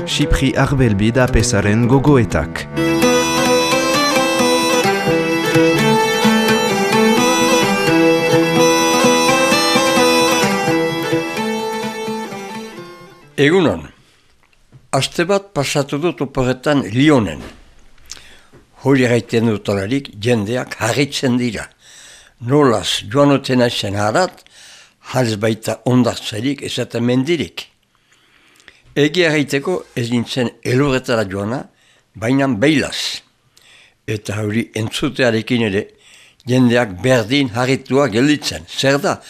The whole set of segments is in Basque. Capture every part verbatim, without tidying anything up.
Xipri Arbelbi da pesaren gogoetak. Egunon, aste bat pasatu dut oporretan Lyonen. Hori gaiten dutolarik jendeak harritzen dira. Nolaz joan oten aizen harat, harz baita ondartzarik ez eta mendirik. Egia gaiteko ez nintzen elurretara joana, baina beilaz. Eta hori entzutearekin ere, jendeak berdin harritua gelditzen. Zer da,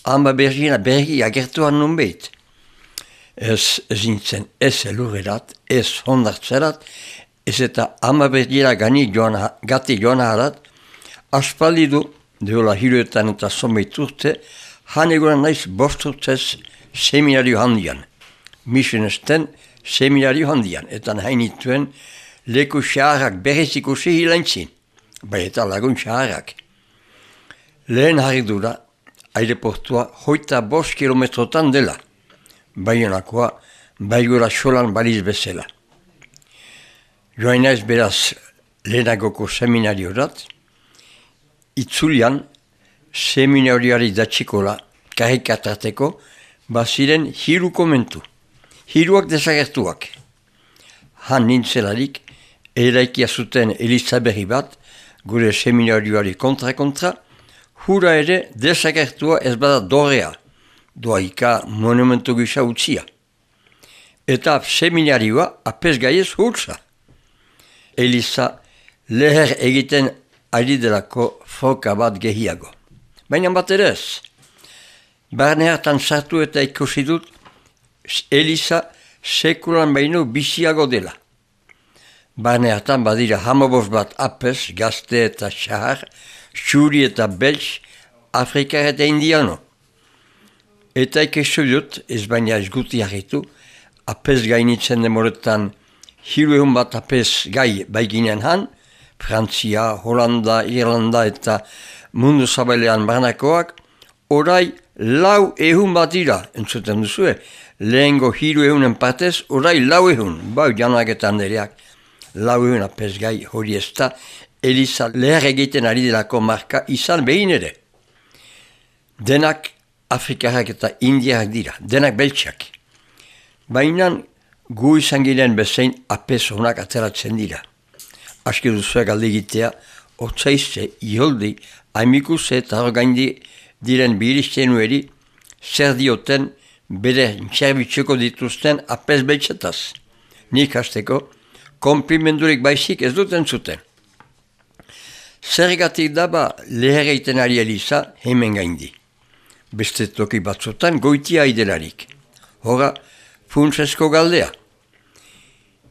hamba bergina bergi agertuan nunbeit. Ez, ez nintzen ez elurrerat, ez ondartzerat, ez eta hamba bergina gani joana, gati joana harat, aspaldi du, deola hiruetan eta zonbait urte, han egunan naiz bost urtez seminario handian. Misionesten seminario handian, eta hainituen leku xaharrak berriz ikusi hilaintzin, bai eta lagun xaharrak. Lehen harridura, aireportua hoita bost kilometrotan dela, baionakoa baigura xolan baliz bezala. Joan naiz beraz lehenagoko seminariorat, itzulian seminarioari datxikola karikatrateko baziren hiru komentu. Hiruak desagertuak. Han nintzelarik, eraikia zuten Elizaberri bat, gure seminarioari kontra-kontra, hura ere desagertua ez bada dorea, doaika monumentu gisa utzia. Eta seminarioa apez gaiez hurtza. Eliza leher egiten ari delako foka bat gehiago. Baina bat ere ez. Barne hartan sartu eta ikusi dut, Eliza sekulan baino biziago dela. Barne hartan badira hamabos bat apes, gazte eta xahar, xuri eta belx, Afrikar eta indiano. Eta ikesu dut, ez baina ez guti harritu, apes gainitzen demoretan hiru egun bat apes gai baiginen han, Frantzia, Holanda, Irlanda eta mundu zabailean barnakoak, orai lau ehun bat dira, entzuten duzue, lehengo hiru ehunen partez, orai lau ehun, bau janaketan dereak, lau ehun apes gai hori ez da, Eliza leher egiten ari delako marka izan behin ere. Denak Afrikarrak eta Indiak dira, denak beltsak. Baina gu izan giren bezain apes honak ateratzen dira. Aski duzuek alde egitea, otzaizze, iholdi, haimikuze eta horgaindi diren biriztenueri, zer dioten bere zerbitzuko dituzten apes beltsetaz. Nik hasteko, konprimendurik baizik ez duten zuten. Zergatik daba leher egiten ari Eliza hemen gaindi. Beste toki batzutan goitia idelarik. Hora, funtsesko galdea.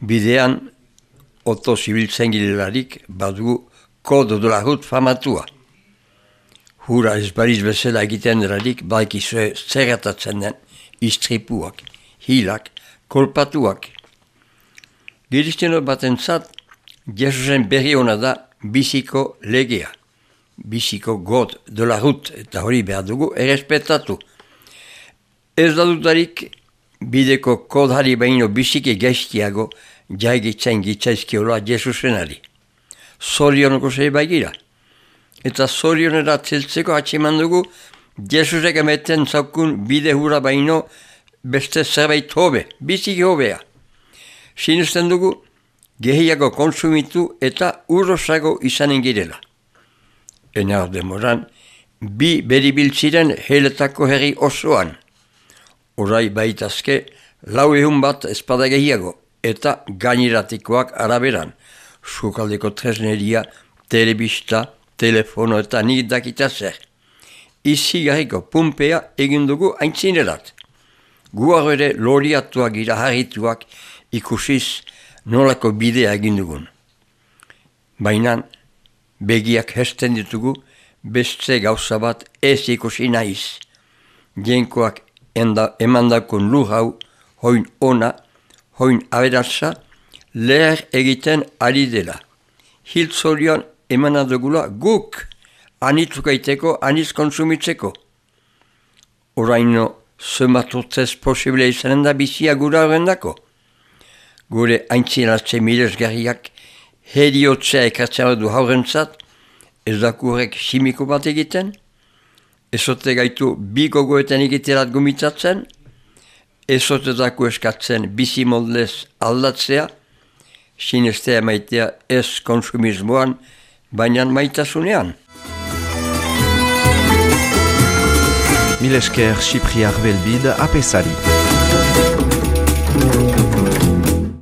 Bidean, oto zibiltzen girelarik badugu kodo de la route famatua. Hura ez bariz bezala egiten delarik baikizue zerratatzen den istripuak, hilak, kolpatuak. Girizteno batentzat, Jesusen berri hona da biziko legea. Biziko god de la route eta hori behar dugu errespetatu. Ez da dutarik bideko kodari baino biziki gestiago jaigitzen gitzaizkiola Jesusenari. Zorionoko zei baigira. Eta zorionera zeltzeko atseman dugu Jesusek emeten zaukun bide hura baino beste zerbait hobe, biziki hobea. Sinusten dugu gehiago konsumitu eta urrosago izanen girela. Enar demoran, bi beribiltziren heletako herri osoan. Orai baitazke, lau ehun bat espada gehiago, eta gaineratikoak araberan. Sukaldeko tresneria, telebista, telefono eta nik dakita zer. Izi garriko pumpea egin dugu aintzinerat. Guaro ere loriatuak gira harrituak ikusiz nolako bidea egin dugun. Baina, begiak hesten ditugu, beste gauza bat ez ikusi naiz. Jenkoak emandakon lur hau, hoin ona, hoin aberatza, leher egiten ari dela. Hiltzorion emanadugula guk, anitzukaiteko, aniz konsumitzeko. Oraino zematotzez posible izanen da bizia gura horrendako. Gure haintzinatze milesgarriak heriotzea ekartzen du haurentzat, ez dakurek simiko bat egiten, ezote gaitu bi gogoetan egiterat gomitzatzen, ezote daku eskatzen bizi moldez aldatzea, sinestea maitea ez konsumismoan, baina maitasunean. Milesker Xipriar Belbid apesari.